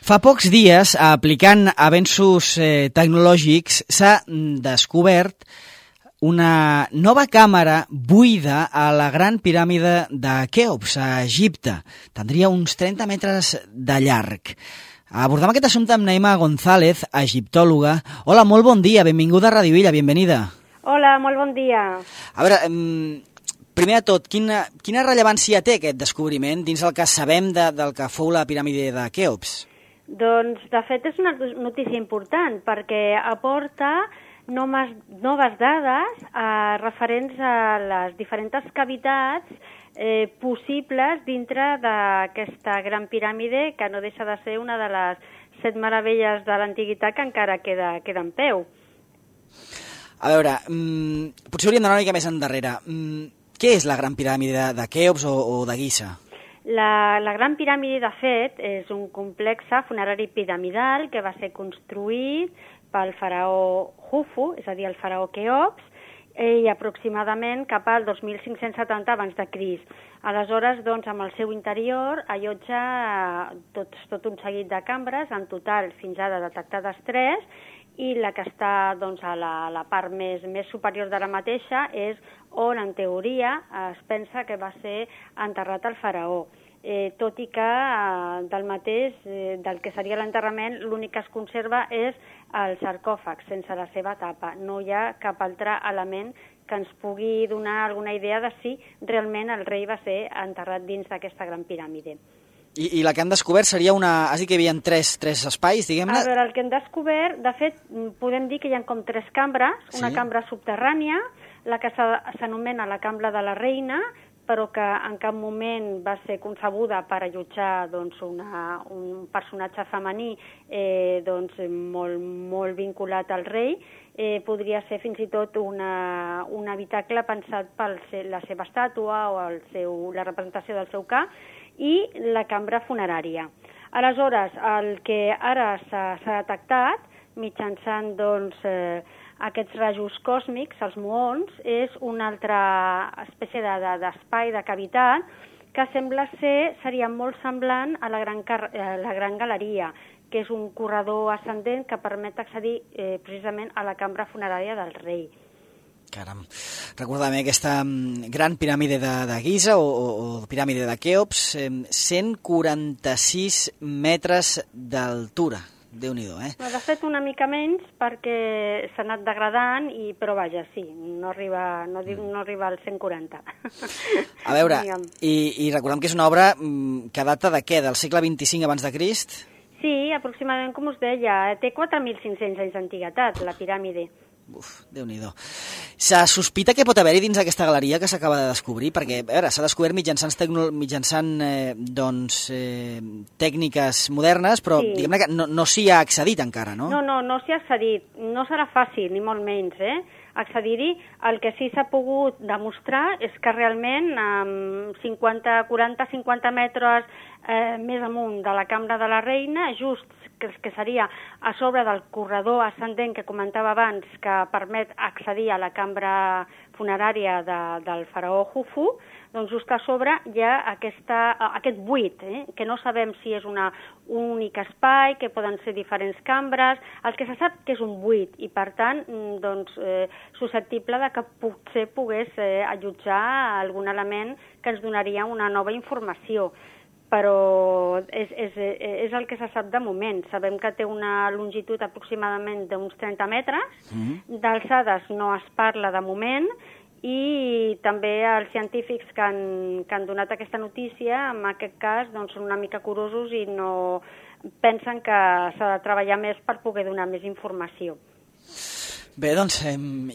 Fa pocs dies, aplicant avenços tecnològics, s'ha descobert una nova càmera buida a la Gran Piràmide de Queops, a Egipte. Tindria uns 30 metres de llarg. Abordem aquest assumpte amb Naima González, egiptòloga. Hola, molt bon dia, benvinguda a Radio Illa, benvenida. Hola, molt bon dia. A veure, primer de tot, quina rellevància té aquest descobriment dins el que sabem del que fou la piràmide de Queops? Doncs, de fet, és una notícia important perquè aporta noves dades referents a les diferents cavitats possibles dintre d'aquesta gran piràmide, que no deixa de ser una de les 7 meravelles de l'antiguitat que encara queda en peu. A veure, potser hauríem d'anar una mica més endarrere. Què és la Gran Piràmide de Queops o de Giza? La Gran Piràmide, de fet, és un complex funerari piramidal que va ser construït pel faraó Jufu, és a dir, el faraó Queops, i aproximadament cap al 2570 abans de Crist. Aleshores, doncs, amb el seu interior allotja tot un seguit de cambres, en total fins ara detectades 3, i la que està doncs, a la part més superior de la mateixa és on, en teoria, es pensa que va ser enterrat el faraó. Tot i que del que seria l'enterrament, l'únic que es conserva és el sarcòfag, sense la seva tapa. No hi ha cap altre element que ens pugui donar alguna idea de si realment el rei va ser enterrat dins d'aquesta gran piràmide. I la que han descobert seria una... Has dit que hi havia tres espais, diguem-ne? A veure, el que han descobert, de fet, podem dir que hi ha com 3 cambres, una cambra subterrània, la que s'anomena la cambra de la reina, però que en cap moment va ser concebuda per allotjar doncs, un personatge femení doncs, molt vinculat al rei. Podria ser fins i tot un habitacle pensat per la seva estàtua o la representació del seu cap, i la cambra funerària. Aleshores, el que ara s'ha detectat mitjançant doncs, aquests rajos còsmics, els muons, és una altra espècie d'espai, de cavitat, que sembla seria molt semblant a la gran galeria, que és un corredor ascendent que permet accedir precisament a la cambra funerària del rei. Caram. Recorda'm aquesta gran piràmide de Giza o piràmide de Queops, 146 metres d'altura. Déu-n'hi-do, De fet, una mica menys perquè s'ha anat degradant, però vaja, sí, no arriba als 140. A veure, i recordem que és una obra que data de què? Del segle XXV abans de Crist? Sí, aproximadament, com us deia, té 4.500 anys d'antiguitat, la piràmide. Uf, Déu-n'hi-do. Se sospita que pot haver-hi dins aquesta galeria que s'acaba de descobrir? Perquè, a veure, s'ha descobert mitjançant tècniques modernes, però diguem-ne que no s'hi ha accedit encara, no? No s'hi ha accedit. No serà fàcil, ni molt menys, accedir-hi. El que sí s'ha pogut demostrar és que realment amb 40-50 metres més amunt de la cambra de la reina, just que seria a sobre del corredor ascendent que comentava abans, que permet accedir a la cambra funerària del faraó Jufu, doncs just a sobre hi ha aquest buit, que no sabem si és un únic espai, que poden ser diferents cambres. El que se sap que és un buit i, per tant, susceptible de que potser pogués allotjar algun element que ens donaria una nova informació. Però és el que se sap de moment. Sabem que té una longitud aproximadament d'uns 30 metres, d'alçades no es parla de moment, i també els científics que han donat aquesta notícia, en aquest cas, doncs, són una mica curosos i no pensen que s'ha de treballar més per poder donar més informació. Bé, doncs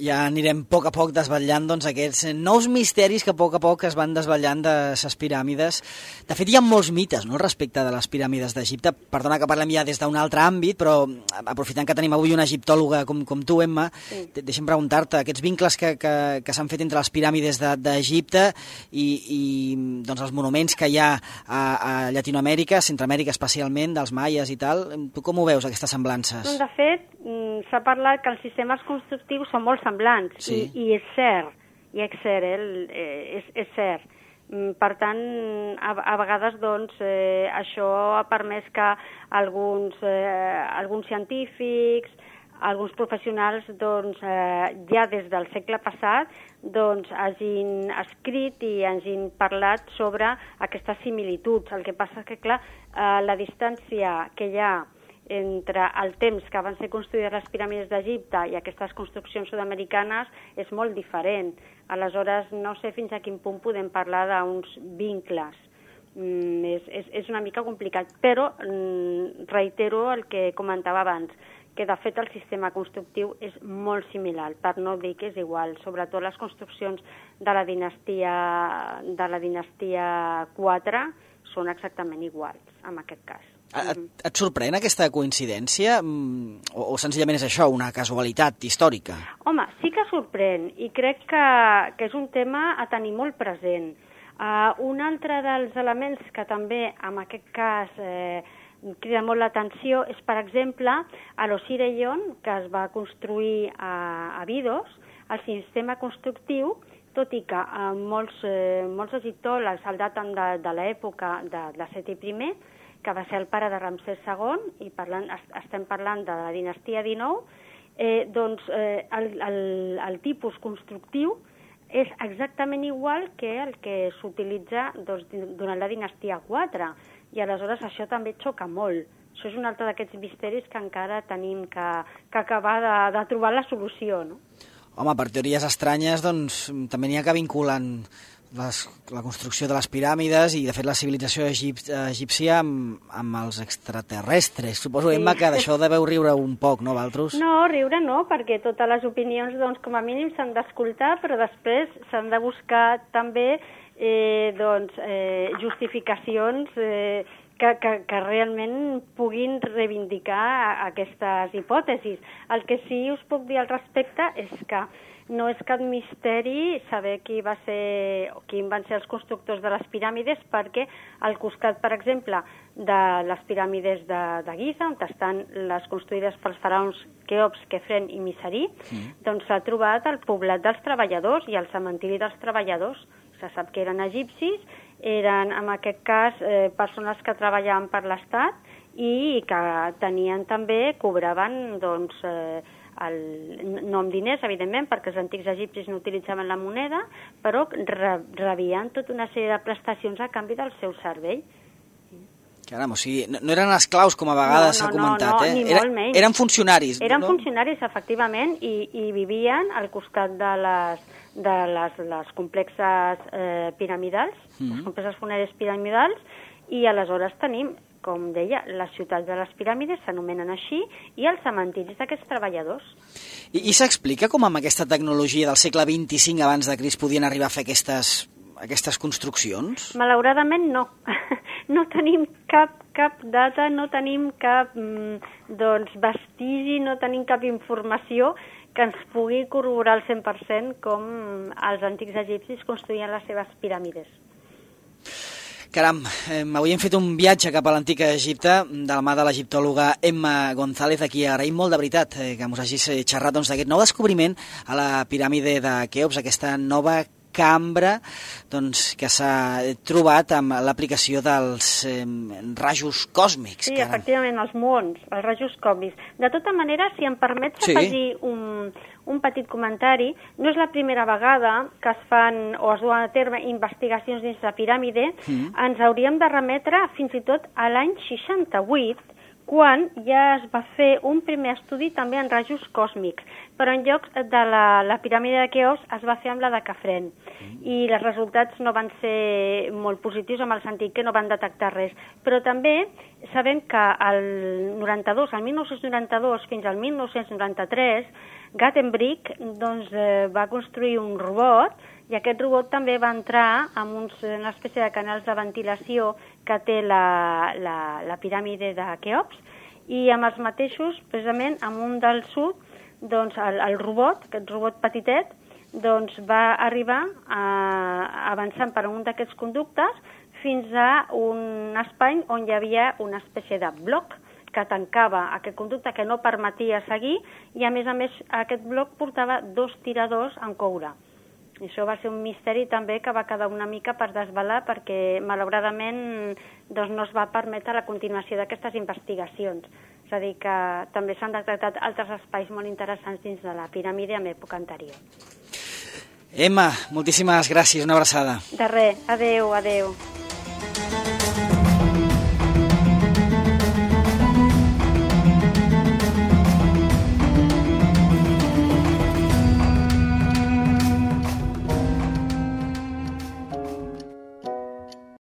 ja anirem a poc desvetllant aquests nous misteris que a poc es van desvetllant de les piràmides. De fet, hi ha molts mites, no?, respecte de les piràmides d'Egipte. Perdona que parlem ja des d'un altre àmbit, però aprofitant que tenim avui una egiptòloga com tu, Emma, deixa'm preguntar-te, aquests vincles que s'han fet entre les piràmides d'Egipte i doncs, els monuments que hi ha a Llatinoamèrica, Centroamèrica especialment, dels maies i tal, tu com ho veus, aquestes semblances? De fet, s'ha parlat que els sistemes constructius són molt semblants, i és cert, és cert. Per tant, a vegades doncs, això ha permès que alguns científics, alguns professionals doncs, ja des del segle passat doncs, hagin escrit i hagin parlat sobre aquestes similituds. El que passa és que, clar, la distància que hi ha entre el temps que van ser construïdes les piràmides d'Egipte i aquestes construccions sud-americanes és molt diferent. Aleshores, no sé fins a quin punt podem parlar d'uns vincles. És una mica complicat, però reitero el que comentava abans, que de fet el sistema constructiu és molt similar, per no dir que és igual, sobretot les construccions de la dinastia 4 són exactament iguals, en aquest cas. Et sorprèn aquesta coincidència o senzillament és això, una casualitat històrica? Home, sí que sorprèn i crec que és un tema a tenir molt present. Un altre dels elements que també en aquest cas crida molt l'atenció és, per exemple, a l'Osireion, que es va construir a Abidos, el sistema constructiu, tot i que molts egiptòlegs el daten de l'època de Seti I, que va ser el pare de Ramsès II, i estem parlant de la dinastia XIX, doncs el tipus constructiu és exactament igual que el que s'utilitza durant la dinastia 4, i aleshores això també xoca molt. Això és un altre d'aquests misteris que encara tenim que acabar de trobar la solució, no? Home, per teories estranyes, doncs, també n'hi ha que vinculen la construcció de les piràmides i, de fet, la civilització egípcia amb els extraterrestres. Suposo, Emma, que d'això deveu riure un poc, no, vosaltres? No, riure no, perquè totes les opinions, doncs, com a mínim s'han d'escoltar, però després s'han de buscar també justificacions que realment puguin reivindicar aquestes hipòtesis. El que sí us puc dir al respecte és que no és cap misteri saber quins van ser els constructors de les piràmides, perquè al costat, per exemple, de les piràmides de Giza, on estan les construïdes pels faraons Keops, Kefren i Miseri, doncs s'ha trobat el poblat dels treballadors i el cementiri dels treballadors. Se sap que eren egipcis, eren, en aquest cas, persones que treballaven per l'Estat i que tenien també, cobraven, doncs, no amb diners, evidentment, perquè els antics egipcis no utilitzaven la moneda, però rebien tota una sèrie de prestacions a canvi del seu servei. Caram, o sigui, no eren esclaus, com a vegades s'ha comentat, ni molt menys. Eren funcionaris. Eren funcionaris, efectivament, i vivien al costat de les complexes piramidals, les complexes funeràries piramidals, i aleshores tenim, com deia, les ciutats de les piràmides s'anomenen així, i els cementiris d'aquests treballadors. I s'explica com amb aquesta tecnologia del segle XXV abans de Crist podien arribar a fer aquestes construccions? Malauradament no. No tenim cap data, no tenim cap vestigi, no tenim cap informació que ens pugui corroborar al 100% com els antics egipcis construïen les seves piràmides. Caram, avui hem fet un viatge cap a l'antic Egipte de la mà de l'egiptòloga Emma González, a qui agraïm molt de veritat que ens hagis xerrat d'aquest nou descobriment a la piràmide de Keops, aquesta nova cambra que s'ha trobat amb l'aplicació dels rajos còsmics. Sí, efectivament, els muons, els rajos còsmics. De tota manera, si em permets afegir un petit comentari, no és la primera vegada que es fan o es duen a terme investigacions dins la piràmide. Ens hauríem de remetre fins i tot a l'any 68, quan ja es va fer un primer estudi també en rajos còsmics, però en lloc de la piràmide de Keops es va fer amb la de Kefren, i els resultats no van ser molt positius, en el sentit que no van detectar res. Però també sabem que el 1992 fins al 1993, Gutenberg va construir un robot, i aquest robot també va entrar en una espècie de canals de ventilació que té la piràmide de Keops, i amb els mateixos, precisament, amb un del sud, doncs el robot, aquest robot petitet, doncs va arribar avançant per un d'aquests conductes fins a un espai on hi havia una espècie de bloc que tancava aquest conducte, que no permetia seguir, i a més aquest bloc portava 2 tiradors en coure. I això va ser un misteri també que va quedar una mica per desvelar perquè, malauradament, doncs no es va permetre la continuació d'aquestes investigacions. És a dir, que també s'han detectat altres espais molt interessants dins de la piràmide en època anterior. Emma, moltíssimes gràcies, una abraçada. De res, adeu, adeu.